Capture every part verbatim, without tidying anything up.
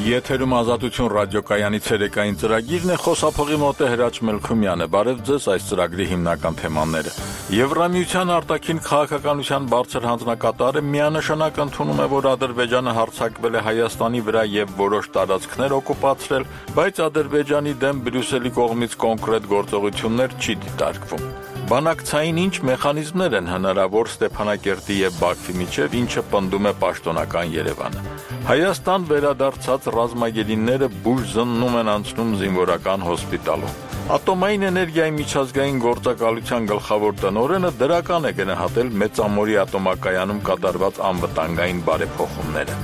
Եթերում ազատություն ռադիոկայանի ցերեկային ծրագիրն է, խոսափողի մոտ է Հրաչ Մելքումյանը։ Բարև ձեզ, այս ծրագրի հիմնական թեմաները։ Եվրամիության արտաքին քաղաքականության բարձր հանձնակատարը միանշանակ ընդունում է, որ Ադրբեջանը հարձակվել է Հայաստանի վրա եւ որոշ տարածքներ օկուպացրել, բայց Ադրբեջանի դեմ Բրյուսելի կողմից կոնկրետ գործողություններ չի դիտարկվում։ Բանակցային ինչ մեխանիզմներ են հնարավոր Ստեփանակերտի եւ Բաքվի միջև, ինչը պնդում է պաշտոնական Երևանը։ Հայաստան վերադարձած ռազմագերիները բուժ զննում են անցնում զինվորական հոսպիտալում։ Ատոմային էներգիայի միջազգային գործակալության գլխավոր տնօրենը դրական է գնահատել Մեծամորի ատոմակայանում կատարված անվտանգային բարեփոխումները։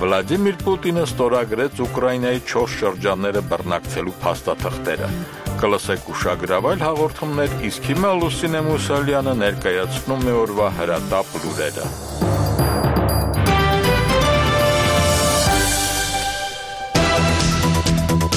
Վլադիմիր Պուտինը ստորագրեց Ուկրաինայի չորս շրջանները բռնակցելու փաստաթղթերը։ Կլսեք ուշագրավայր հաղորդումներ, իսկ հիմա Լուսինե Մուսալյանը ներկայացնում է օրվա հրատապ լուրերը։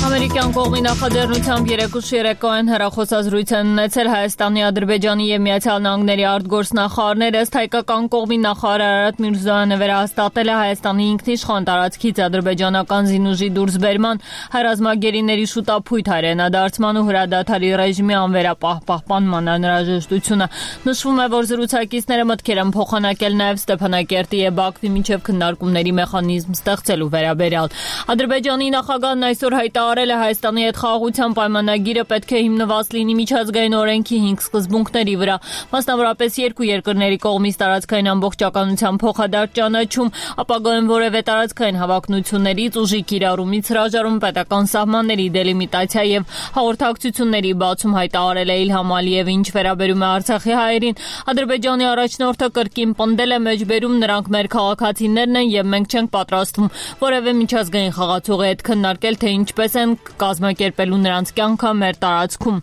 Ամերիկյան կողմի նախաձեռնությամբ երեկուշ երեկոյան հեռախոսազրույց են ունեցել Հայաստանի, Ադրբեջանի և Միացյալ Նահանգների արտգործնախարարները, ըստ հայկական կողմի նախարար Արարատ Միրզոյանը վերահաստատել է Հայաստանի ինքնիշխան տարածքից ադրբեջանական զինուժի դուրսբերման, հայրազմագերիների շուտափույթ հայրենադարձման ու հրադադարի ռեժիմի անվերապահպանման անհրաժեշտությունը։ Նշվում է, որ զրուցակիցները մտքեր են փոխանակել նաև Ստեփանակերտի և Բաքվի միջև քննարկումների մեխանիզմ ստեղծելու վերաբերյալ։ Ադրբեջանի նախագահն այսօր հայտարարել է Հայաստանի հետ խաղաղության պայմանագիրը պետք է հիմնված լինի միջազգային օրենքի հինգ սկզբունքների վրա, մասնավորապես երկու երկրների կողմից տարածքային ամբողջականության փոխադարձ ճանաչում, ապագայում որևէ տարածքային հավակնություններից, ուժի կիրառումից հրաժարում, պետական սահմանների դելիմիտացիա եւ հաղորդակցությունների բացում, հայտարարել է Իլհամ Ալիևը, ինչ վերաբերում է Արցախի հայերին։ Ադրբեջանի առաջնորդը կրկին պնդել է մեջբերում նրանք մեր քաղաքացիներն են եւ մենք չենք պատրաստվում որևէ միջազգային խաղացողի հետ քննարկել, թե ինչպես են կազմակերպելու նրանց կյանքը մեր տարածքում։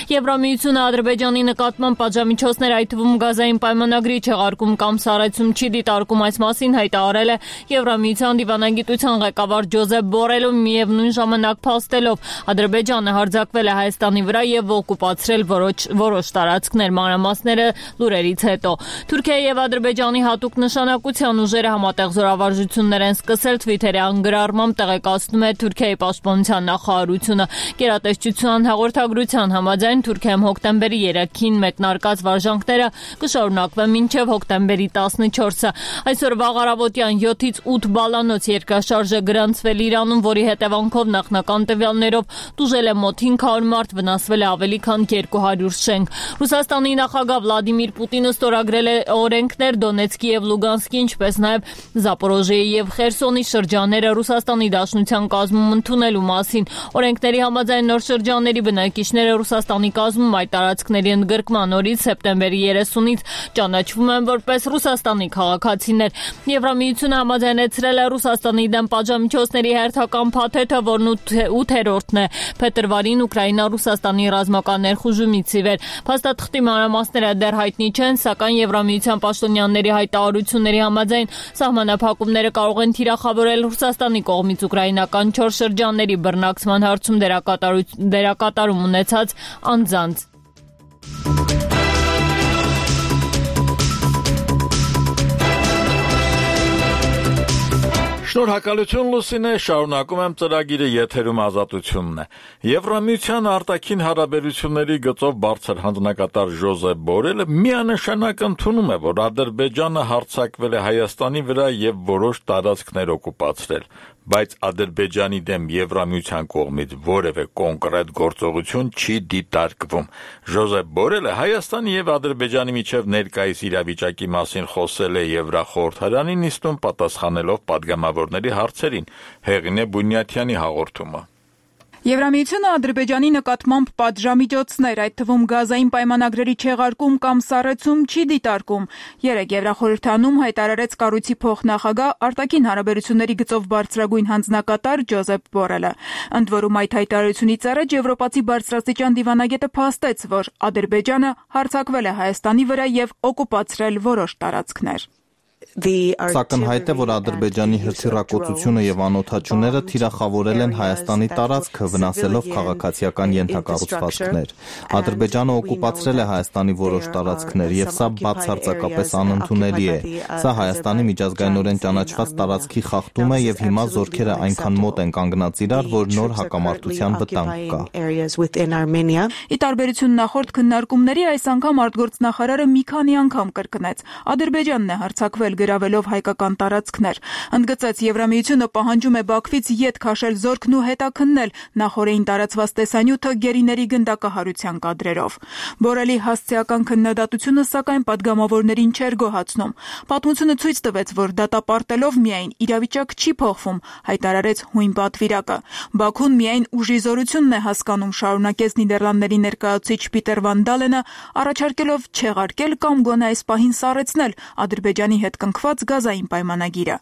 Եվրամիությունը Ադրբեջանի նկատմամբ պատժամիջոցներ, այդ թվում գազային պայմանագրի չեղարկում կամ սառեցում չի դիտարկում, այս մասին հայտարարել է Եվրամիության դիվանագիտության ղեկավար Ջոզեփ Բորելը, միևնույն ժամանակ փաստելով Ադրբեջանը հարձակվել է Հայաստանի վրա եւ օկուպացրել որոշ որոշ տարածքներ, մանրամասները լուրերից հետո։ Թուրքիայի եւ Ադրբեջանի հատուկ նշանակության ուժերը համատեղ զորավարժություններ են սկսել, Թվիթերյան գրառմամբ տեղեկացնում է Թուրքիայի պաշտպանության նախարարությունը։ Գերատեսչության հաղորդագրության համաձայն Թուրքիայում հոկտեմբերի երեքին մեկնարկած վարժանքները կշարունակվեն մինչև հոկտեմբերի տասնչորսը։ Այսօր վաղ առավոտյան յոթից ութ բալանոց երկրաշարժ է գրանցվել Իրանում, որի հետևանքով նախնական տվյալներով տուժել է մոտ հինգ հարյուր մարդ, վնասվել է ավելի քան երկու հարյուր շենք։ Ռուսաստանի նախագահ Վլադիմիր Պուտինը ստորագրել է օրենքներ Դոնեցկի եւ Լուգանսկի, ինչպես նաեւ Զապորոժիեի եւ Խերսոնի շրջանները Ռուսաստանի Դաշնության կազմում ընդունելու մասին։ Օրենքների համաձայն նոր շրջանների բնակիչները Ռուսաստանի կազմում այդ տարածքների ընդգրկման օրից սեպտեմբերի երեսունից ճանաչվում են որպես Ռուսաստանի քաղաքացիներ։ Եվրամիությունը համաձայնեցրել է Ռուսաստանի դեմ պատժամիջոցների հերթական փաթեթը, որն ութերորդն է փետրվարին Ուկրաինա-Ռուսաստանի ռազմական ներխուժումից ի վեր։ Փաստաթղթի մանրամասները դեռ հայտնի չեն, սակայն Եվրամիության պաշտոնյաների հայտարարությունների համաձայն սահմանափակումները կարող են թիրախավորել Ռուսաստանի կողմից ուկրաինական չորս շրջանների բռնակցման հարցում դերակատարում ունեցած անձանց։ Շնորհակալություն Լուսինե, շարունակում եմ ծրագիրը, եթերում ազատությունն է։ Եվրամիության արտաքին հարաբերությունների գծով բարձր հանձնակատար Ջոզեփ Բորելը միանշանակ ընդունում է, որ Ադրբեջանը հարձակվել է Հայաստանի վրա եւ որոշ տարածքներ օկուպացրել, բայց Ադրբեջանի դեմ Եվրամիության կողմից որևէ կոնկրետ գործողություն չի դիտարկվում։ Ջոզեփ Բորելը Հայաստանի եւ Ադրբեջանի միջև ներկայիս իրավիճակի մասին խոսել է Եվրախորհրդարանի նիստում, պատասխանելով պատգամավորների հարցերին։ Հեղինե Բունյաթյանի հաղորդումը։ Եվրամիությունը Ադրբեջանի նկատմամբ պատժամիջոցներ, այդ թվում գազային պայմանագրերի չեղարկում կամ սառեցում չի դիտարկում։ Երեկ Եվրախորհրդանում հայտարարեց կառույցի փոխնախագահ արտաքին հարաբերությունների գծով բարձրագույն հանձնակատար Ջոզեփ Բորելը։ Ընդ որում այդ հայտարարությունից առաջ եվրոպացի բարձրաստիճան դիվանագետը փաստեց, որ Ադրբեջանը հարձակվել է Հայաստանի վրա եւ օկուպացրել որոշ տարածքներ։ Սակնհայտ է, որ Ադրբեջանի հրթիռակոծությունը եւ անօդաչուները թիրախավորել են Հայաստանի տարածքը, վնասելով քաղաքացիական ենթակառուցվածքներ։ Ադրբեջանը օկուպացրել է Հայաստանի որոշ տարածքներ եւ սա բացարձակապես անընդունելի է։ Սա Հայաստանի միջազգայինորեն ճանաչված տարածքի խախտում է եւ հիմա զորքերը այնքան մոտ են կանգնած իրար, որ նոր հակամարտության վտանգ կա։ Ի տարբերություն նախորդ քննարկումների, այս անգամ արտգործնախարարը մի քանի անգամ կրկնեց. Ադրբեջանն է հարձակվել գրավելով հայկական տարածքներ։ Ընդգծեց, Եվրամիությունը պահանջում է Բաքվից ետ քաշել զորքն ու հետաքննել նախորդին տարածված տեսանյութը գերիների գնդակահարության կադրերով։ Բորելի հասցեական քննադատությունը, սակայն, падգամավորներին չէր գոհացնում։ Պատմությունը ցույց տվեց, որ դատապարտելով միայն իրավիճակ չի փոխվում, հայտարարեց հույն պատվիրակը։ Բաքուն միայն ուժի զորությունն է հասկանում, շարունակեց Նիդերլանդների ներկայացուցիչ Պիտեր Վան Դալենը, առաջարկելով չեղարկել կամ գոնե այս պահին սառեցնել Ադրբեջանի հետ կնքված գազային պայմանագիրը։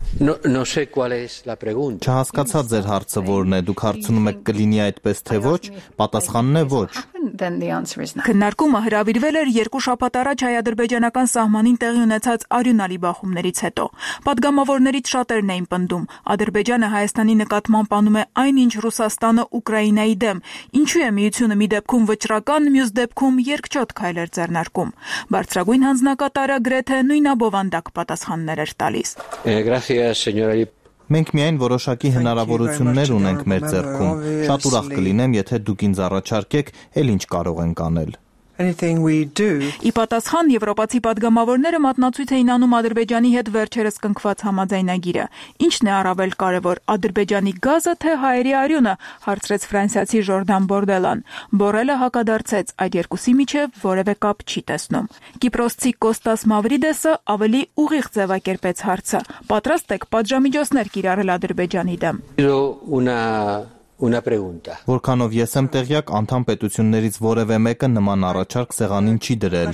Չհասկացա ձեր հարցը որն է, դուք հարցնում եք կլինի այդպես թե ոչ, պատասխանն է ոչ։ Քննարկումը հրավիրվել էր երկու շաբաթ առաջ հայ-ադրբեջանական սահմանին տեղի ունեցած արյունալի բախումներից հետո։ Պատգամավորներից շատերն էին պնդում, Ադրբեջանը Հայաստանի նկատմամբ անում է այն, ինչ Ռուսաստանը Ուկրաինայի դեմ, ինչու է միությունը մի դեպքում վճռական, մյուս դեպքում երկչոտ քայլեր ձեռնարկում։ Բարձրագույն հանձնակատարը գրեթե նույնաբովանդակ պատասխաններ էր տալիս։ Մենք միայն որոշակի հնարավորություններ ունենք մեր ձեռքում։ Շատ ուրախ կլինեմ, եթե դուք ինձ առաջարկեք, էլ ինչ կարող ենք անել։ Ի պատասխան, եվրոպացի падգամավորները մատնացույց էին անում Ադրբեջանի հետ վերջերս կնքված համաձայնագիրը։ Ինչն է առավել կարևոր, Ադրբեջանի գազը թե հայերի արյունը, հարցրեց ֆրանսիացի Ժորդան Բորդելան։ Բորելը հակադարձեց, այդ երկուսի միջև որևէ կապ չի տեսնում։ Կիպրոսցի Կոստաս Մավրիդեսը ավելի ուղիղ ձևակերպեց հարցը։ Պատրաստ եք պատժամիջոցներ կիրառել Ադրբեջանի դեմ։ Որքանով ես եմ տեղյակ, անդամ պետություններից որևէ մեկը նման առաջարկ սեղանին չի դրել։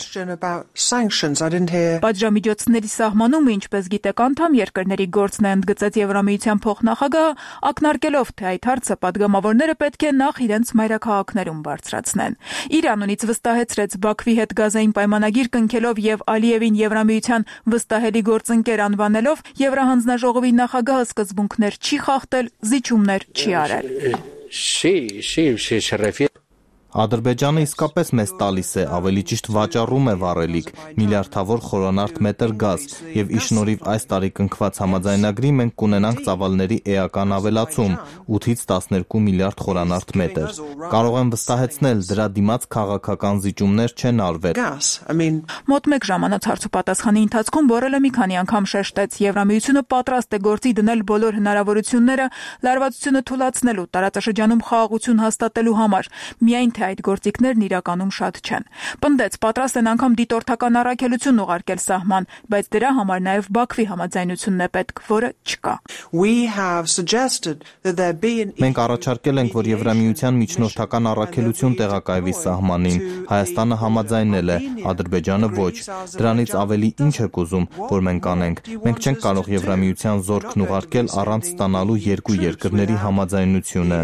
Պատժամիջոցների սահմանումը, ինչպես գիտեք, անդամ երկրների գործն է, ընդգծեց Եվրամիության փոխնախագահը, ակնարկելով, թե այդ հարցը падգամավորները պետք է նախ իրենց մայրաքաղաքներում բարձրացնեն։ Իր անունից վստահեցրեց Բաքվի հետ գազային պայմանագիր կնքելով եւ Ալիևին Եվրամիության վստահելի գործընկեր անվանելով, Եվրահանձնաժողովի նախագահը սկզբունքներ չի խախտել, զիջումներ չի արել։ Ադրբեջանը իսկապես մեզ տալիս է, ավելի ճիշտ վաճառում է վառելիք, միլիարդավոր խորանարդ մետր գազ, եւ ի շնորհիվ այս տարի կնքված համաձայնագրի մենք կունենանք ծավալների էական ավելացում ութից տասներկու միլիարդ խորանարդ մետր։ Կարող եմ վստահեցնել, դրա դիմաց քաղաքական զիջումներ չեն արվել։ Մոտ մեկ ժամանակ հարց ու պատասխանի ընթացքում Բորելը մի քանի անգամ շեշտեց, Եվրամիությունը պատրաստ է գործի դնել բոլոր հնարավորությունները լարվածությունը թույլատնելու, տարածաշրջանում խաղաղություն հաստատելու համար, միայն թե այդ գործիքներն իրականում շատ չեն։ Պնդեց, պատրաստ են անգամ դիտորդական առաքելություն ուղարկել սահման, բայց դրա համար նաև Բաքվի համաձայնությունն է պետք, որը չկա։ Մենք առաջարկել ենք, որ Եվրամիության միջնորդական առաքելություն տեղակայվի սահմանին։ Հայաստանը համաձայնել է, Ադրբեջանը ոչ։ Դրանից ավելի ինչ եք ուզում, որ մենք անենք։ Մենք չենք կարող Եվրամիության զորքն ուղարկել առանց ստանալու երկու երկրների համաձայնությունը։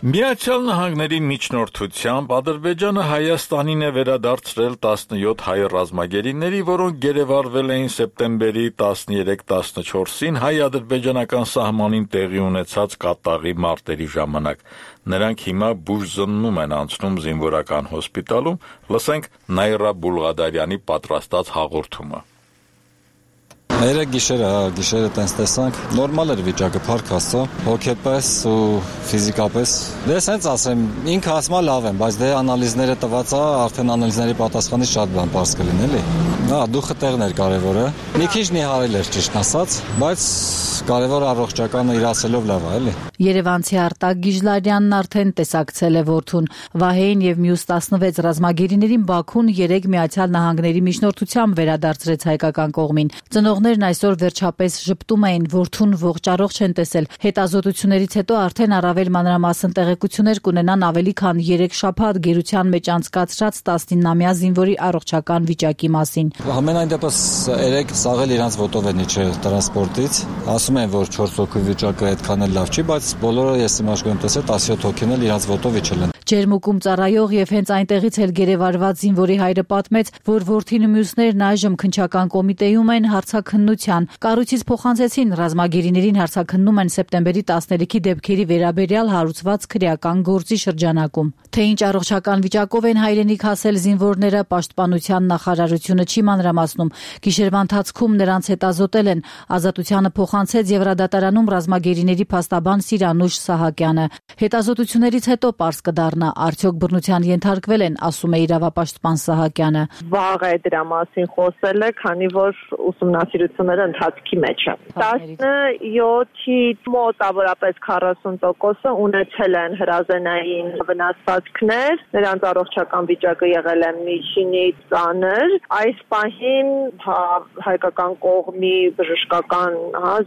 Միացյալ Նահանգների միջնորդությամբ Ադրբեջանը Հայաստանին է վերադարձրել տասնյոթ հայ ռազմագերիների, որոնք գերեվարվել էին սեպտեմբերի տասներեք տասնչորսին հայ-ադրբեջանական սահմանին տեղի ունեցած կատաղի մարտերի ժամանակ։ Նրանք հիմա բուժզննում են անցնում զինվորական հոսպիտալում, լսենք Նայրա Բուլղադարյանի պատրաստած հաղորդումը։ Երեք գիշերը, գիշերը տենց տեսանք, նորմալ էր վիճակը, փառք Աստծո, հոգեպես ու ֆիզիկապես։ Դե սենց ասեմ, ինքը ասում է լավ եմ, բայց դե անալիզները տված է, արդեն անալիզների պատասխանից շատ բան պարզ կլինի, էլի։ Հա, դուխը տեղն էր կարևորը։ Մի քիչ նիհարել էր ճիշտ ասած, բայց կարևորը առողջականը իրացելով լավ է, էլի։ Երևանցի Արտակ Գիժլարյանն արդեն տեսակցել է որդուն։ Վահեին եւ մյուս տասնվեց ռազմագերիներին Բաքուն երեք Միացյալ Նահանգների միջնորդությամբ վերադարձրեց հայկական կողմին։ Ծնողները Ամուսնուներն այսօր վերջապես ժպտում էին, որդուն ողջ առողջ են տեսել։ Հետազոտություններից հետո արդեն առավել մանրամասն տեղեկություններ կունենան ավելի քան երեք շաբաթ գերության մեջ անցկացրած տասնինամյա զինվորի առողջական վիճակի մասին։ Համենայն դեպս երեք սաղել իրանց ոտով են իջել տրանսպորտից։ Ասում են, որ չորս հոգու վիճակը այդքան էլ լավ չի, բայց բոլորը ես իմաշկում եմ տեսել տասնյոթ հոգին էլ իրանց ոտով իջել են։ Ջերմուկում ծառայող եւ հենց այնտեղից էլ գերեվարված զինվորի հայրը պատմեց, որ որդին ու մյուսներն այժմ քննչական կոմիտեում են հարցաքննության։ Կառույցից փոխանցեցին ռազմագերիներին հարցաքննում են սեպտեմբերի տասներեքի դեպքերի վերաբերյալ հարուցված քրեական գործի շրջանակում։ Թե ինչ առողջական վիճակով են հայրենիք հասել զինվորները, պաշտպանության նախարարությունը չի մանրամասնում։ Գիշերվա ընթացքում նրանց հետազոտել են։ Ազատությանը փոխանցեց Եվրադատարանում ռազմագերիների փաստաբան Սիրանուշ Սահակյանը։ Հետազոտություններից հետո պարզ կդառնա, արդյոք բռնության ենթարկվել են, ասում է իրավապաշտպան Սահակյանը։ Վաղ է դրա մասին խոսել է, քանի որ ուսումնասիրությունները ընթացքի մեջ են։ տասնյոթի մոտավորապես քառասուն տոկոսը ունեցել են հրազենային վնասվածքներ, նրանց առողջական վիճակը եղել է միջինից ծանր։ Այս պահին հայկական կողմի բժշկական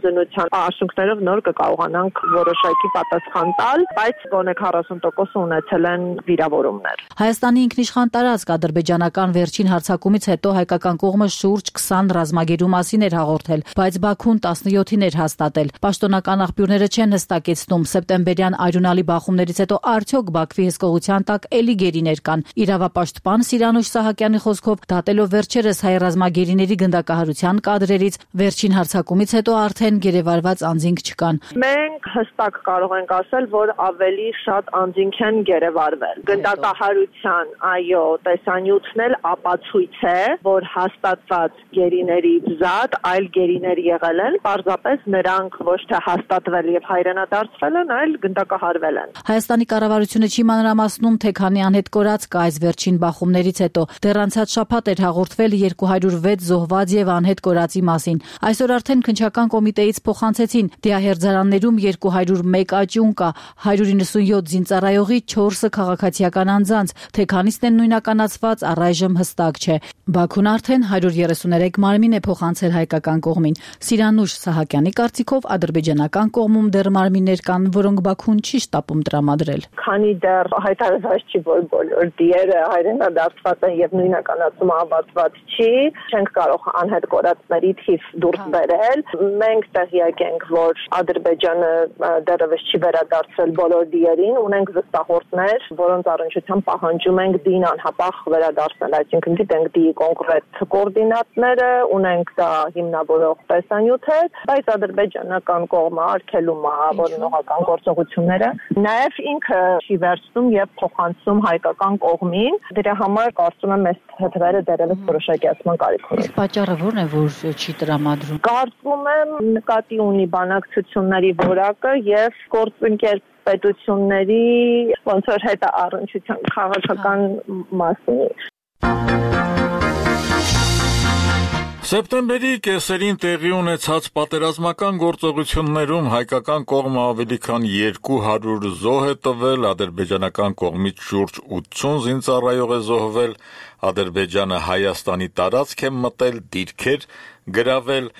զննության արդյունքներով նոր կկարողանանք որոշակի պատասխան տալ, բայց գոնե քառասուն տոկոսը ունեցել են վիրավորումներ։ Հայաստանի ինքնիշխան տարածք ադրբեջանական վերջին հարձակումից հետո հայկական կողմը շուրջ քսան ռազմագերու մասին էր հաղորդել, բայց Բաքուն տասնյոթին էր հաստատել։ Պաշտոնական աղբյուրները չեն հստակեցնում սեպտեմբերյան արյունալի բախումներից հետո արդյոք Բաքվի հսկողության տակ էլի գերիներ կան։ Իրավապաշտպան Սիրանուշ Սահակյանի խոսքով, դատելով վերջերս հայ ռազմագերիների գնդակահարության կադրերից, վերջին հարձակումից հետո արդեն գերեվարված անձինք չկան։ Մենք հստակ կարող ենք ասել, որ ավելի շատ անձինք են գերեվարվել։ Գնդակահարության, այո, տեսանյութն էլ ապացույց է, որ հաստատված գերիներից զատ այլ գերիներ եղել են, պարզապես նրանք ոչ թե հաստատվել եւ հայրենադարձվել են, այլ գնդակահարվել են։ Հայաստանի կառավարությունը չի մանրամասնում, թե քանի անհետ կորած կա այս վերջին բախումներից հետո։ Դեռ անցած շաբաթ էր հաղորդվել երկու հարյուր վեց զոհված եւ անհետ կորածի մասին։ Այսօր արդեն քննչական կոմիտեից փոխանցեցին դիահերձարաններում երկու հարյուր մեկ աճյուն կա, հարյուր իննսունյոթ զինծառայողի, չորսը քաղաքացիական անձանց, թե քանիսն են նույնականացված առայժմ հստակ չէ։ Բաքուն արդեն հարյուր երեսուներեք մարմին է փոխանցել հայկական կողմին։ Սիրանուշ Սահակյանի կարծիքով ադրբեջանական կողմում դեռ մարմիններ կան, որոնք Բաքուն չի շտապում տրամադրել։ Քանի դեռ հայտարարված չի, որ բոլոր դիերը հայրենադարձված են եւ նույնականացումը ավարտված չի, չենք կարող անհետ կորածների թիվ դուրս բերել։ Մենք տեղյակ ենք, որ Ադրբեջանը դեռևս չի վերադարձել բոլոր դիերին, ունենք վստահորդներ, որոնց առնչությամբ պահանջում ենք դին անհապաղ վերադարձնել, այսինքն գիտենք դիի կոնկրետ կոորդինատները, ունենք դա հիմնավորող տեսանյութեր, բայց ադրբեջանական կողմը արգելում է որոնողական գործողությունները, նաև ինքը չի վերցնում եւ փոխանցում հայկական կողմին։ Դրա համար կարծում եմ այս հետվերը դեռևս որոշակիացման կարիք ունի։ Պատճառը ո՞րն է, որ չի տրամադրում։ Կարծում եմ նկատի ունի բանակցությունների որակը եւ գործընկեր պետությունների ոնց որ հետը առնչության քաղաքական մասին։ Սեպտեմբերի կեսերին տեղի ունեցած պատերազմական գործողություններում հայկական կողմը ավելի քան երկու հարյուր զոհ է տվել, ադրբեջանական կողմից շուրջ ութսուն զինծառայող է զոհվել, Ադրբեջանը Հայաստանի տարածք է մտել, դիրքեր գրավել։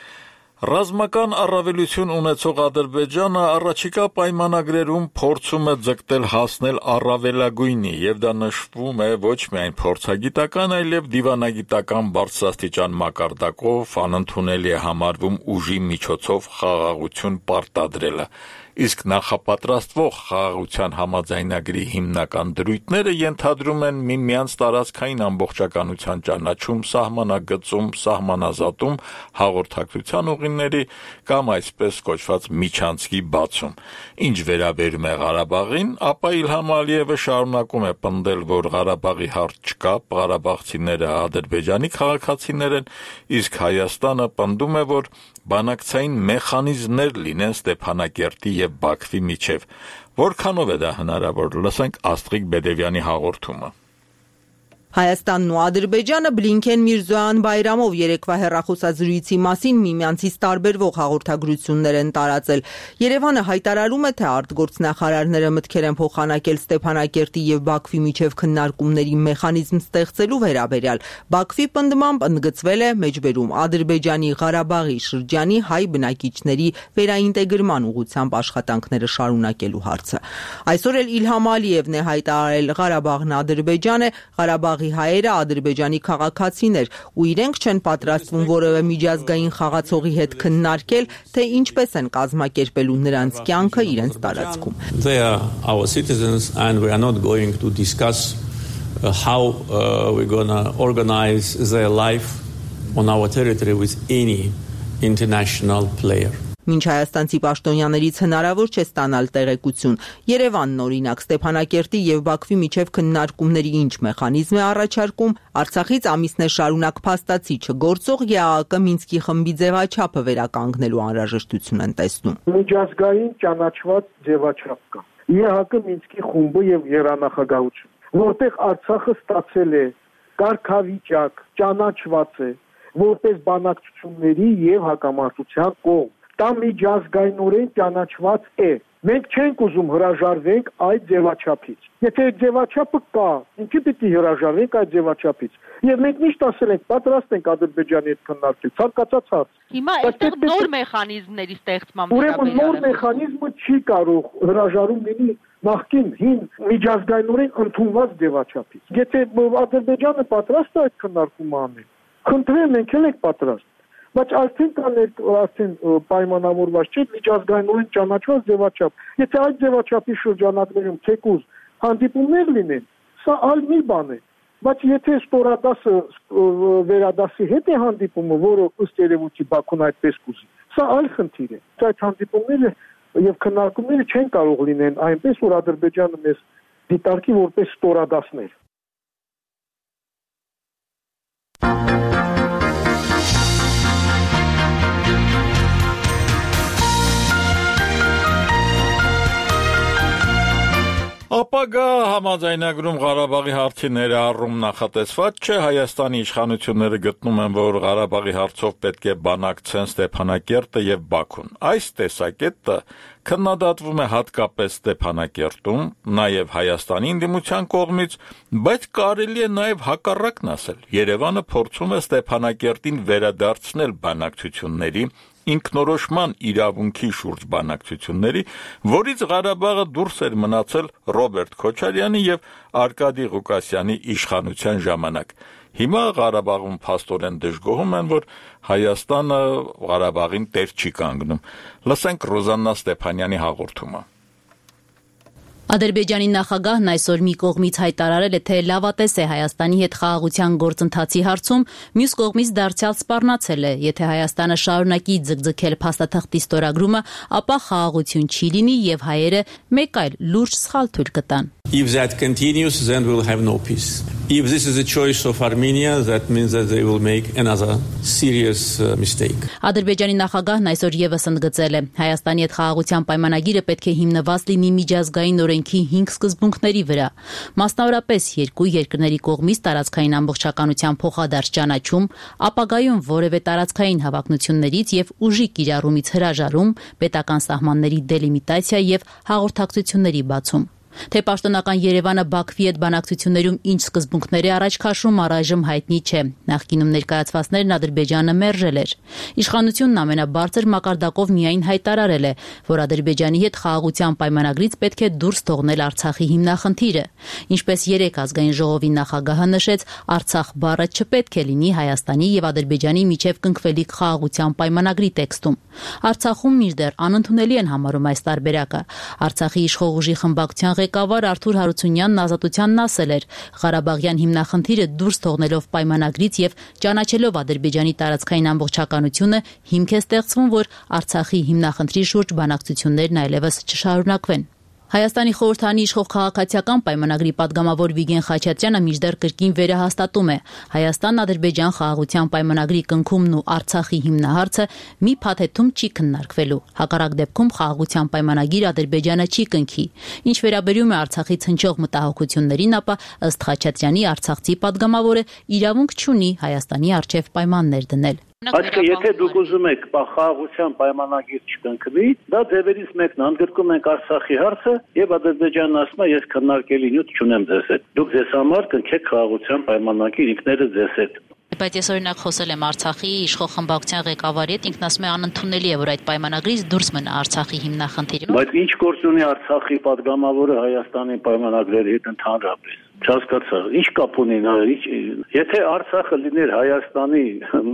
Ռազմական առավելություն ունեցող Ադրբեջանը առաջիկա պայմանագրերում փորձում է ձգտել հասնել առավելագույնի, եւ դա նշվում է ոչ միայն փորձագիտական, այլև դիվանագիտական բարձրաստիճան մակարդակով, անընդունելի է համարվում ուժի միջոցով խաղաղություն պարտադրելը։ Իսկ նախապատրաստվող խաղաղության համաձայնագրի հիմնական դրույթները ենթադրում են միմյանց տարածքային ամբողջականության ճանաչում, սահմանագծում, սահմանազատում, հաղորդակցության ուղիների կամ այսպես կոչված միջանցքի բացում։ Ինչ վերաբերում է Ղարաբաղին, ապա Իլհամ Ալիևը շարունակում է պնդել, որ Ղարաբաղի հարց չկա, ղարաբաղցիները Ադրբեջանի քաղաքացիներ են, իսկ Հայաստանը պնդում է, որ բանակցային մեխանիզմներ լինեն Ստեփանակերտի եւ Բաքվի միջև։ Որքանով է դա հնարավոր, լսենք Աստղիկ Բեդևյանի հաղորդումը։ Հայաստանն ու Ադրբեջանը Բլինքեն Միրզոյան Բայրամով երեկվա հեռախոսազրույցի մասին միմյանցից տարբերվող հաղորդագրություններ են տարածել։ Երևանը հայտարարում է, թե արտգործնախարարները մտքեր են փոխանակել Ստեփանակերտի եւ Բաքվի միջև քննարկումների մեխանիզմ ստեղծելու վերաբերյալ։ Բաքվի պնդմամբ ընդգծվել է մեջբերում Ադրբեջանի Ղարաբաղի շրջանի հայ բնակիչների վերաինտեգրման ուղղությամբ աշխատանքները շարունակելու հարցը։ Այսօր էլ Իլհամ Ալիևն է հայտարարել, Ղարաբաղն Ադրբեջան է, Ղարաբաղի հայերը Ադրբեջանի քաղաքացիներ ու իրենք չեն պատրաստվում որևէ միջազգային խաղացողի հետ քննարկել, թե ինչպես են կազմակերպելու նրանց կյանքը իրենց տարածքում։ They are our citizens and we are not going to discuss how uh, we're going to organize their life on our territory with any international player. Մինչ հայաստանցի պաշտոնյաներից հնարավոր չէ ստանալ տեղեկություն։ Երևանն օրինակ Ստեփանակերտի եւ Բաքվի միջև քննարկումների ինչ մեխանիզմ է առաջարկում, Արցախից ամիսներ շարունակ փաստացի չգործող ԵԱՀԿ Մինսկի խմբի ձևաչափը վերականգնելու անհրաժեշտություն են տեսնում։ Միջազգային ճանաչված ձևաչափ կա։ ԵԱՀԿ Մինսկի խումբը եւ երանախագահություն, որտեղ Արցախը ստացել է կարգավիճակ, ճանաչված է որպես բանակցությունների եւ հակամարտության կողմ։ Դա միջազգայինորեն ճանաչված է։ Մենք չենք ուզում հրաժարվենք այդ ձևաչափից։ Եթե այդ ձևաչափը կա, ինչի՞ պիտի հրաժարվենք այդ ձևաչափից։ Եվ մենք միշտ ասել ենք, պատրաստ ենք Ադրբեջանի հետ քննարկել, ցանկացած հարց։ Հիմա այստեղ նոր մեխանիզմների ստեղծման Ուրեմն նոր մեխանիզմը չի կարող հրաժարում լինի նախկին հին միջազգայինորեն ընդունված ձևաչափից։ Եթե Ադրբեջանը պատրաստ է այդ քննարկումը անել, խնդրեմ, մենք էլ ենք պատրաստ։ Բայց արդեն կան արդեն պայմանավորված չէ միջազգայինորեն ճանաչված ձևաչափ։ Եթե այդ ձևաչափի շրջանակներում թեկուզ հանդիպումներ լինեն, սա այլ մի բան է։ Բայց եթե ստորադասը վերադասի հետ է հանդիպումը, որը ըստ երևույթի Բաքուն այդպես կուզի, սա այլ խնդիր է։ Այդ հանդիպումները եւ քննարկումները չեն կարող լինեն այնպես, որ Ադրբեջանը մեզ դիտարկի որպես ստորադասներ։ Ապագա համաձայնագրում Ղարաբաղի հարցի ներառում նախատեսված չէ, Հայաստանի իշխանությունները գտնում են, որ Ղարաբաղի հարցով պետք է բանակցեն Ստեփանակերտը եւ Բաքուն։ Այս տեսակետը քննադատվում է հատկապես Ստեփանակերտում, նաեւ Հայաստանի ընդդիմության կողմից, բայց կարելի է նաեւ հակառակն ասել։ Երևանը փորձում է Ստեփանակերտին վերադարձնել բանակցությունների ինքնորոշման իրավունքի շուրջ բանակցությունների, որից Ղարաբաղը դուրս էր մնացել Ռոբերտ Քոչարյանի եւ Արկադի Ղուկասյանի իշխանության ժամանակ։ Հիմա Ղարաբաղում փաստորեն դժգոհում են, որ Հայաստանը Ղարաբաղին տեր չի կանգնում։ Լսենք Ռոզաննա Ստեփանյանի հաղորդումը։ Ադրբեջանի նախագահն այսօր մի կողմից հայտարարել է, թե լավատես է Հայաստանի հետ խաղաղության գործընթացի հարցում, մյուս կողմից դարձյալ սպառնացել է, եթե Հայաստանը շարունակի ձգձգել փաստաթղթի ստորագրումը, ապա խաղաղություն չի լինի եւ հայերը մեկ այլ լուրջ սխալ թույլ կտան։ If that continues, then we'll have no peace. If this is a choice of Armenia, that means that they will make another serious uh, mistake. Ադրբեջանի նախագահն այսօր եւս ընդգծել է, Հայաստանի հետ խաղաղության պայմանագիրը պետք է հիմնված լինի միջազգային օրենքի հինգ սկզբունքների վրա, մասնավորապես երկու երկրների կողմից տարածքային ամբողջականության փոխադարձ ճանաչում, ապագայում որևէ տարածքային հավակնություններից եւ ուժի կիրառումից հրաժարում, պետական սահմանների դելիմիտացիա եւ հաղորդակցությունների բացում։ Թե պաշտոնական Երևանը Բաքվի հետ բանակցություններում ինչ սկզբունքների առաջ քաշում առայժմ հայտնի չէ։ Նախկինում ներկայացվածներն Ադրբեջանը մերժել էր։ Իշխանությունն ամենաբարձր մակարդակով միայն հայտարարել է, որ Ադրբեջանի հետ խաղաղության պայմանագրից պետք է դուրս թողնել Արցախի հիմնախնդիրը։ Ինչպես երեք ազգային ժողովի նախագահը նշեց, Արցախ բառը չպետք է լինի Հայաստանի եւ Ադրբեջանի միջև կնքվելիք խաղաղության պայմանագրի տեքստում։ Արցախում մինչդեռ անընդունելի են համարում այս տարբերակը։ Արցախի իշխող ուժի խմբակցության ղեկավար Արթուր Հարությունյանն Ազատությանն ասել էր. Ղարաբաղյան հիմնախնդիրը դուրս թողնելով պայմանագրից եւ ճանաչելով Ադրբեջանի տարածքային ամբողջականությունը հիմք է ստեղծվում, որ Արցախի հիմնախնդրի շուրջ բանակցություններն այլևս չշարունակվեն։ Հայաստանի խորհրդանի իշխող քաղաքացիական պայմանագրի падգամավոր Վիգեն Խաչատրյանը մինչդեռ կրկին վերահաստատում է Հայաստան-Ադրբեջան խաղաղության պայմանագրի կնքումն ու Արցախի հիմնահարցը մի փաթեթում չի քննարկվելու։ Հակառակ դեպքում խաղաղության պայմանագիր Ադրբեջանը չի կնքի։ Ինչ վերաբերում է Արցախից հնչող մտահոգություններին, ապա ըստ Խաչատրյանի արցախցի падգամավորը իրավունք չունի Հայաստանի առջև պայմաններ դնել։ Այսինքն, եթե դուք ուզում եք խաղաղության պայմանագիր չկնքվի, դա ձևերից մեկն է, ընդգրկում ենք Արցախի հարցը եւ Ադրբեջանն ասում է, ես քննարկելի նյութ չունեմ ձեզ հետ։ Դուք ձեզ համար կնքեք խաղաղության պայմանագիր ինքներդ ձեզ հետ։ Բայց ես օրինակ խոսել եմ Արցախի իշխող խմբակցության ղեկավարի հետ, ինքն ասում է անընդունելի է, որ այդ պայմանագրից դուրս մնա Արցախի հիմնախնդիրը։ Բայց ինչ գործ ունի Արցախի падգամավորը Հայաստանի պայմանագրերի հետ ընդհանրապես։ Չհասկացա, ինչ կապ ունի նա, եթե Արցախը լիներ Հայաստանի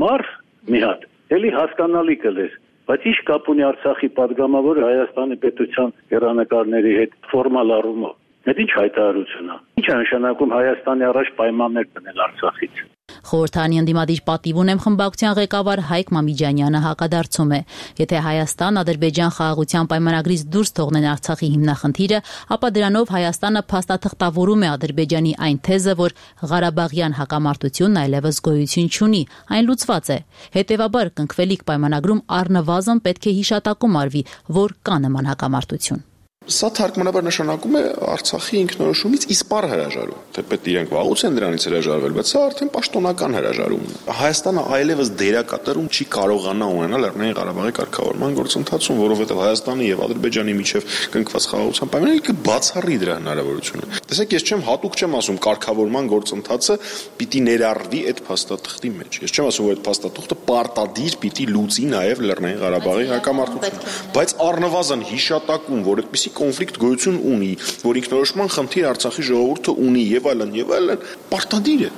մարզ մի հատ, էլի հասկանալի կլեր, բայց ինչ կապ ունի Արցախի падգամավորը Հայաստանի պետության հեռանկարների հետ ֆորմալ առումով։ Դա ինչ հայտարարություն է։ Ինչ է նշանակում Հայաստանի առաջ պայմաններ դնել Արցախից։ Խորհրդանի ընդդիմադիր պատիվ ունեմ խմբակցության ղեկավար Հայկ Մամիջանյանը հակադարձում է. Եթե Հայաստան-Ադրբեջան խաղաղության պայմանագրից դուրս թողնեն Արցախի հիմնախնդիրը, ապա դրանով Հայաստանը փաստաթղթավորում է Ադրբեջանի այն թեզը, որ Ղարաբաղյան հակամարտությունն այլևս գոյություն չունի, այն լուծված է։ Հետևաբար կնքվելիք պայմանագրում առնվազն պետք է հիշատակում արվի, որ կա նման հակամարտություն։ Սա թարգմանաբար նշանակում է Արցախի ինքնորոշումից իսպառ հրաժարում։ Թեպետ իրենք վաղուց են դրանից հրաժարվել, բայց սա արդեն պաշտոնական հրաժարում է։ Հայաստանը այլևս դերակատարում չի կարողանա ունենալ Լեռնային Ղարաբաղի կարգավորման գործընթացում, որովհետև Հայաստանի եւ Ադրբեջանի միջև կնքված խաղաղության պայմանները կբացառի դրա հնարավորությունը։ Տեսեք, ես չեմ հատուկ չեմ ասում կարգավորման գործընթացը պիտի ներառվի այդ փաստաթղթի մեջ։ Ես չեմ ասում, որ այդ փաստաթղթը պարտադիր պիտի լուծի նաեւ Լեռնային Ղարաբաղի հակամարտությունը, բայց առնվազն հիշատակում, որ այդպիսի կոնֆլիկտ գոյություն ունի, որ ինքնորոշման խնդիր Արցախի ժողովուրդը ունի եւ այլն եւ այլն, պարտադիր է։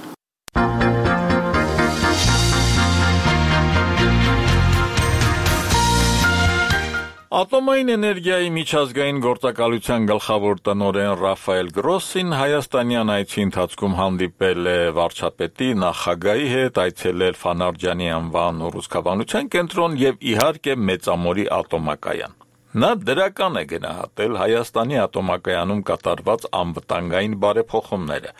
Ատոմային էներգիայի միջազգային գործակալության գլխավոր տնօրեն Ռաֆայել Գրոսին հայաստանյան այցի ընթացքում հանդիպել է վարչապետի, նախագահի հետ, այցելել Ֆանարջանի անվան ուռուցքաբանության կենտրոն եւ իհարկե Մեծամորի ատոմակայան։ Նա դրական է գնահատել Հայաստանի ատոմակայանում կատարված անվտանգային բարեփոխումները։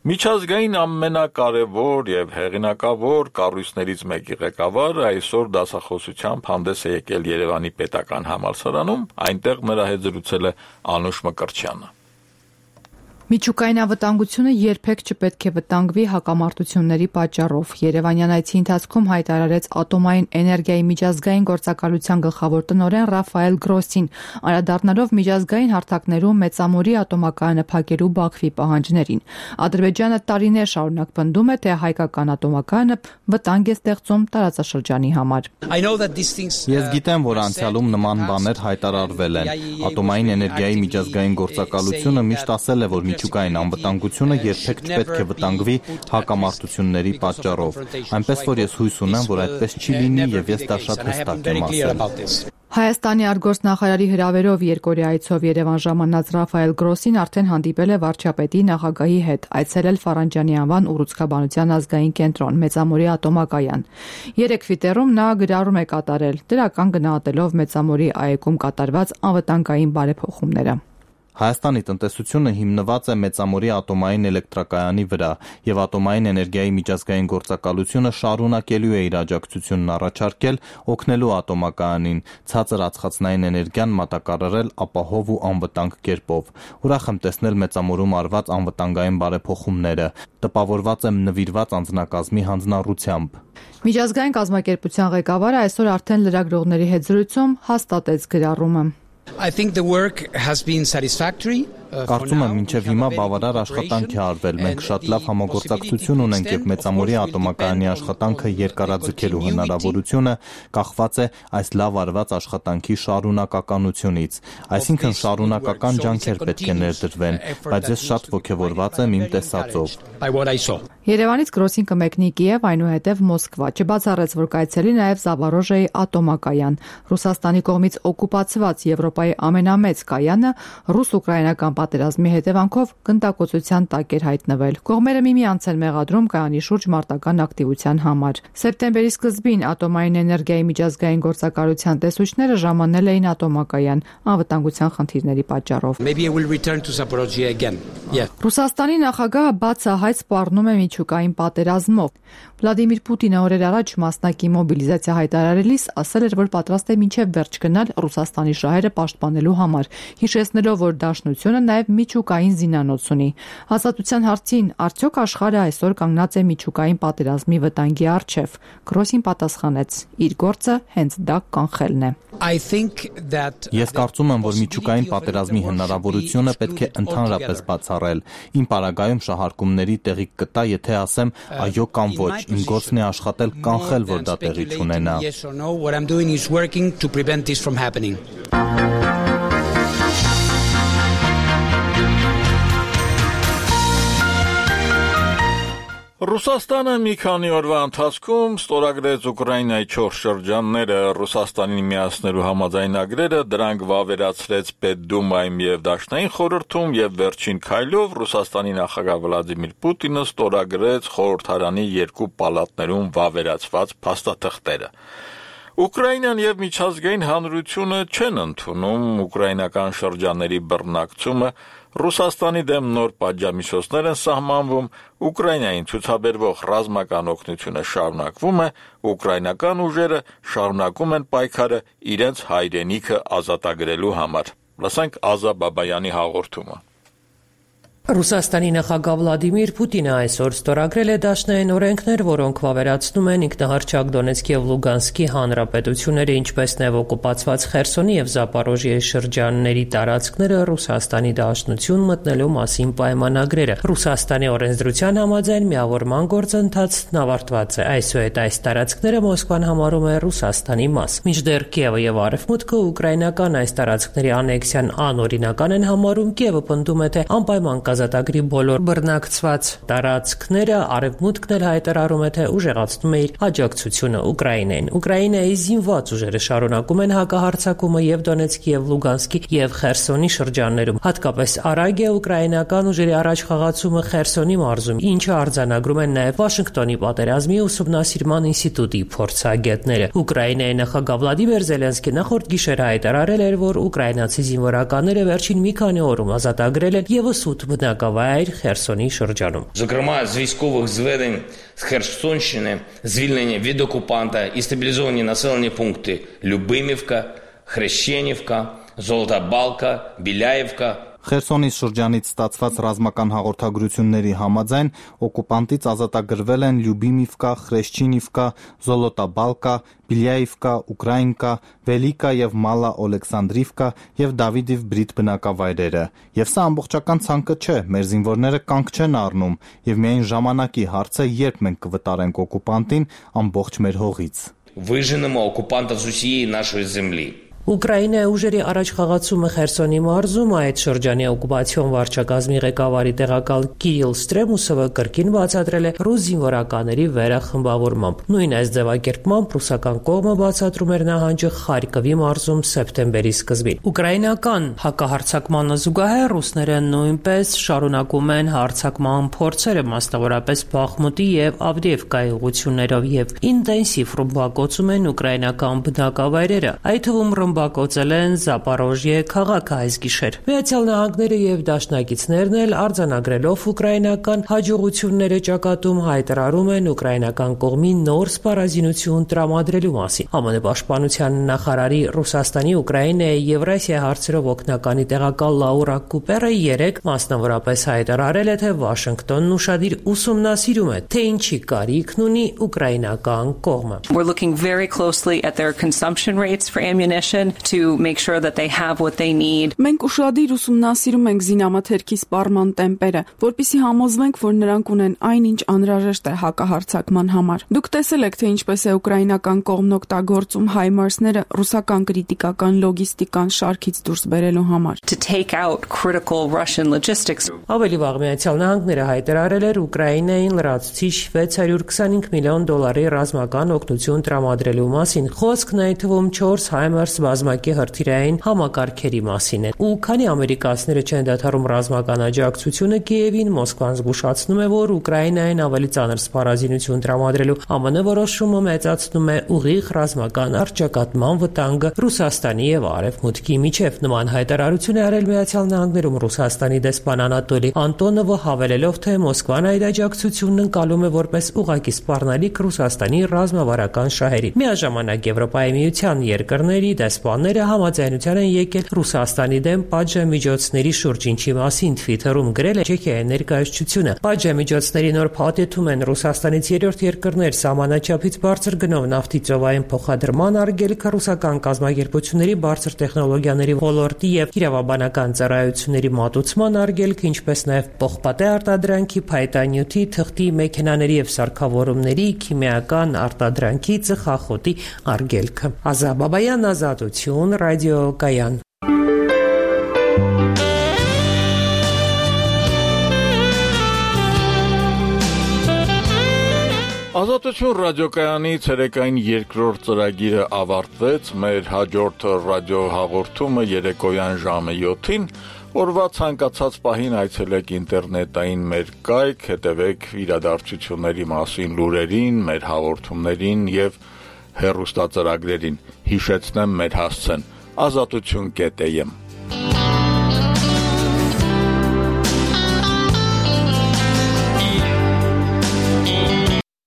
Միջազգային ամենակարևոր եւ հեղինակավոր կառույցներից մեկի ղեկավարը այսօր դասախոսությամբ հանդես է եկել Երևանի պետական համալսարանում, այնտեղ նրա հետ զրուցել է Անուշ Մկրտչյանը։ Միջուկային անվտանգությունը երբեք չպետք է վտանգվի հակամարտությունների պատճառով։ Երևանյան այցի ընթացքում հայտարարեց ատոմային էներգիայի միջազգային գործակալության գլխավոր տնօրեն Ռաֆայել Գրոսին, անդրադառնալով միջազգային հարթակներում Մեծամորի ատոմակայանը փակելու Բաքվի պահանջներին։ Ադրբեջանը տարիներ շարունակ պնդում է, թե հայկական ատոմակայանը վտանգ է ստեղծում տարածաշրջանի համար։ Ես գիտեմ, որ անցյալում նման բաներ հայտարարվել են։ Ատոմային էներգիայի միջազգային գործակալությունը միշտ ասել է, որ միջուկային անվտանգությունը երբեք չպետք է վտանգվի հակամարտությունների պատճառով։ Այնպես որ ես հույս ունեմ, որ այդպես չի լինի եւ ես դա շատ հստակ եմ ասել։ Հայաստանի արտգործնախարարի հրավերով երկօրյա այցով Երևան ժամանած Ռաֆայել Գրոսին արդեն հանդիպել է վարչապետի, նախագահի հետ, այցելել Ֆարանջանի անվան ուռուցքաբանության ազգային կենտրոն, Մեծամորի ատոմակայան։ Երեքվի տերում նա գրառում է կատարել, դրական գնահատելով Մեծամորի այգում կատարված անվտանգային բարեփոխումները։ Հայաստանի տնտեսությունը հիմնված է Մեծամորի ատոմային էլեկտրակայանի վրա եւ ատոմային էներգիայի միջազգային գործակալությունը շարունակելու է իր աջակցությունն առաջարկել օգնելու ատոմակայանին ցածր ածխածնային էներգիան մատակարարել ապահով ու անվտանգ կերպով։ Ուրախ եմ տեսնել Մեծամորում արված անվտանգային բարեփոխումները, տպավորված եմ նվիրված անձնակազմի հանձնառությամբ։ Միջազգային կազմակերպության ղեկավարը այսօր արդեն լրագրողների հետ զրույցում հաստատեց գրառումը։ I think the work has been satisfactory. Կարծում եմ մինչև հիմա բավարար աշխատանք է արվել։ Մենք շատ լավ համագործակցություն ունենք եւ Մեծամորի ատոմակայանի աշխատանքը երկարաձգելու հնարավորությունը կախված է այս լավ արված աշխատանքի շարունակականությունից։ Այսինքն շարունակական ջանքեր պետք է ներդրվեն, բայց ես շատ ողջավորված եմ իմ տեսածով։ Երևանից Գրոսին կմեկնի Կիև, այնուհետև Մոսկվա։ Չբացառեց, որ կայցելի նաև Զավարոժեի ատոմակայան։ Ռուսաստանի կողմից օկուպացված Եվրոպայի ամենամեծ կայանը ռուս-ուկրաինական պատերազմի հետևանքով գնդակոծության տակ էր հայտնվել։ Կողմերը միմյանց են մեղադրում կայանի շուրջ մարտական ակտիվության համար։ Սեպտեմբերի սկզբին Ատոմային էներգիայի միջազգային գործակալության տեսուչները ժամանել էին ատոմակայան անվտանգության խնդիրների պատճառով։ Maybe I will return to Zaporozhye again. Yeah. Ռուսաստանի նախագահը բացահայտ սպառնում է միջուկային պատերազմով։ Վլադիմիր Պուտինը օրեր առաջ մասնակի մոբիլիզացիա հայտարարելիս ասել էր, որ պատրաստ է մինչև վերջ գնալ Ռուսաստանի շահերը պաշտպանելու համար, հիշեցնելով, որ Դաշնությունը նաև միջուկային զինանոց ունի։ Ազատության հարցին արդյոք աշխարհը այսօր կանգնած է միջուկային պատերազմի վտանգի առջև։ Գրոսին պատասխանեց. իր գործը հենց դա կանխելն է։ I think that Ես կարծում եմ, որ միջուկային պատերազմի հնարավորությունը պետք է ընդհանրապես բացառել։ Իմ պարագայում շահարկումների տեղի կտա, եթե ասեմ այո կամ ոչ, իմ գործն է աշխատել կանխել, որ դա տեղի չունենա։ yes or no, what I'm doing is working to prevent this from happening. Ռուսաստանը մի քանի օրվա ընթացքում ստորագրեց Ուկրաինայի չորս շրջանները Ռուսաստանին միացնելու համաձայնագրերը, դրանք վավերացրեց Պետդումայում եւ Դաշնային խորհրդում եւ վերջին քայլով Ռուսաստանի նախագահ Վլադիմիր Պուտինը ստորագրեց խորհրդարանի երկու պալատներում վավերացված փաստաթղթերը։ Ուկրաինան եւ միջազգային հանրությունը չեն ընդունում ուկրաինական շրջանների բռնակցումը, Ռուսաստանի դեմ նոր պատժամիջոցներ են սահմանվում, Ուկրաինային ցուցաբերվող ռազմական օգնությունը շարունակվում է, ուկրաինական ուժերը շարունակում են պայքարը իրենց հայրենիքը ազատագրելու համար։ Լսենք Ազա Բաբայանի հաղորդումը։ Ռուսաստանի նախագահ Վլադիմիր Պուտինը այսօր ստորագրել է դաշնային օրենքներ, որոնք վավերացնում են ինքնահռչակ Դոնեցկի եւ Լուգանսկի հանրապետությունները, ինչպես նաեւ օկուպացված Խերսոնի եւ Զապորոժիեի շրջանների տարածքները Ռուսաստանի դաշնություն մտնելու մասին պայմանագրերը։ Ռուսաստանի օրենսդրության համաձայն միավորման գործընթացն ավարտված է։ Այսուհետ այս տարածքները Մոսկվան համարում է Ռուսաստանի մաս։ Մինչդեռ Կիևը եւ Արևմուտքը ուկրաինական այս տարածքների անեքսիան անօրինական են համարում, Կիևը պնդում է, թե անպայման ազատագրի բոլոր բռնակցված տարածքները, Արևմուտքն էլ հայտարարում է, թե ուժեղացնում է իր աջակցությունը Ուկրաինային։ Ուկրաինայի զինված ուժերը շարունակում են հակահարձակումը եւ Դոնեցկի եւ Լուգանսկի եւ Խերսոնի շրջաններում։ Հատկապես արագ է ուկրաինական ուժերի առաջխաղացումը Խերսոնի մարզում, ինչը արձանագրում են նաեւ Վաշինգտոնի պատերազմի ուսումնասիրման ինստիտուտի փորձագետները։ Ուկրաինայի նախագահ Վլադիմիր Զելենսկին նախորդ գիշեր հայտարարել էր, որ ուկրաինացի զինվորականները վերջին մի քանի օրում ազատագրել են եւս ութ բնակավայր Խերսոնի շրջանում։ Зокрема, з військових зведень з Херсонщини звільнені від окупанта і стабілізовані населені пункти Любимівка, Хрещенівка, Золота Балка, Біляївка, Խերսոնի շրջանից ստացված ռազմական հաղորդագրությունների համաձայն օկուպանտից ազատագրվել են Լյուբիմիվկա, Խրեշչինիվկա, Զոլոտաբալկա, Բիլյայիվկա, Ուկրաինկա, Վելիկա եւ Մալա Օլեքսանդրիվկա եւ Դավիդիվ Բրիտ բնակավայրերը։ Եվ սա ամբողջական ցանկը չէ, մեր զինվորները կանգ չեն առնում եւ միայն ժամանակի հարց է, երբ մենք կվտարենք օկուպանտին ամբողջ մեր հողից։ Виженемо окупанта з усієї нашої землі. Ուկրաինայի ուժերի առաջխաղացումը Խերսոնի մարզում այդ շրջանի օկուպացիոն վարչակազմի ղեկավարի տեղակալ Կիրիլ Ստրեմուսովը կրկին բացատրել է ռուս զինվորականների վերախմբավորմամբ։ Նույն այս ձևակերպմամբ ռուսական կողմը բացատրում էր նահանջը Խարկովի մարզում սեպտեմբերի սկզբին։ Ուկրաինական հակահարձակմանը զուգահեռ ռուսները նույնպես շարունակում են հարձակման փորձերը, մասնավորապես Բախմուտի եւ Ավդիևկայի ուղղություններով եւ ինտենսիվ ռմբակոծում են ուկրաինական բնակավայրերը, այդ թվում բակոծել են Զապորոժիե քաղաքը այս գիշեր։ Միացյալ Նահանգները եւ դաշնակիցներն էլ արձանագրելով ուկրաինական հաջողությունները ճակատում հայտարարում են ուկրաինական կողմի նոր սպառազինություն տրամադրելու մասին։ ԱՄՆ պաշտպանության նախարարի Ռուսաստանի, Ուկրաինայի, Եվրասիա հարցերով օգնականի տեղակալ Լաուրա Կուպերը երեկ մասնավորապես հայտարարել է, թե Վաշինգտոնն ուշադիր ուսումնասիրում է, թե ինչի կարիքն ունի ուկրաինական կողմը։ We're looking very closely at their consumption rates for ammunition to make sure that they have what they need. Մենք ուշադիր ուսումնասիրում ենք զինամթերքի սպառման տեմպերը, որպեսզի համոզվենք, որ նրանք ունեն այնինչ անհրաժեշտ է հակահարձակման համար։ Դուք տեսել եք, թե ինչպես է ուկրաինական կողմն օգտագործում հայմարսները ռուսական կրիտիկական լոգիստիկան շարքից դուրս բերելու համար։ To take out critical Russian logistics. Ավելի վաղ Միացյալ Նահանգները հայտարարել էր Ուկրաինային լրացուցիչ վեց հարյուր քսանհինգ միլիոն դոլարի ռազմական օգնություն տրամադրելու մասին։ Խոսքն այդ թվում չորս հայմարս ռազմակի հրթիռային համակարգերի մասին են։ Ու քանի ամերիկացիները չեն դադարում ռազմական աջակցությունը Կիևին, Մոսկվան զգուշացնում է, որ Ուկրաինային ավելի ծանր սպառազինություն տրամադրելու ԱՄՆ որոշումը մեծացնում է ուղիղ ռազմական առճակատման վտանգը Ռուսաստանի եւ Արևմուտքի միջև։ Նման հայտարարություն է արել Միացյալ Նահանգներում Ռուսաստանի դեսպան Անատոլի Անտոնովը, հավելելով, թե Մոսկվան այդ աջակցությունն ընկալում է որպես ուղղակի սպառնալիք Ռուսաստանի ռազմավարական շահերին։ Միաժամանակ Եվրոպայի միության երկրների դեսպանները համաձայնության են եկել Ռուսաստանի դեմ պատժամիջոցների շուրջ, ինչի մասին Twitter-ում գրել է Չեխիայի ներկայացությունը։ Պատժամիջոցների նոր փաթեթում են Ռուսաստանից երրորդ երկրներ սահմանաչափից բարձր գնով նավթի ծովային փոխադրման արգելքը, ռուսական կազմակերպությունների բարձր տեխնոլոգիաների ոլորտի եւ իրավաբանական ծառայությունների մատուցման արգելքը, ինչպես նաեւ պողպատե արտադրանքի, փայտանյութի, թղթի, մեքենաների եւ սարքավորումների, քիմիական արտադրանքի, ծխախոտի արգելքը։ Ազա Բաբայան, Ազատություն, Ռադիոկայան։ Ազատություն ռադիոկայանի ցերեկային երկրորդ ծրագիրը ավարտվեց, մեր հաջորդ ռադիոհաղորդումը երեկոյան ժամը յոթին, օրվա ցանկացած պահին այցելեք ինտերնետային մեր կայք, հետևեք իրադարձությունների մասին լուրերին, մեր հաղորդումներին եւ հեռուստածրագրերին, հիշեցնեմ մեր հասցեն ազատություն կետ է եմ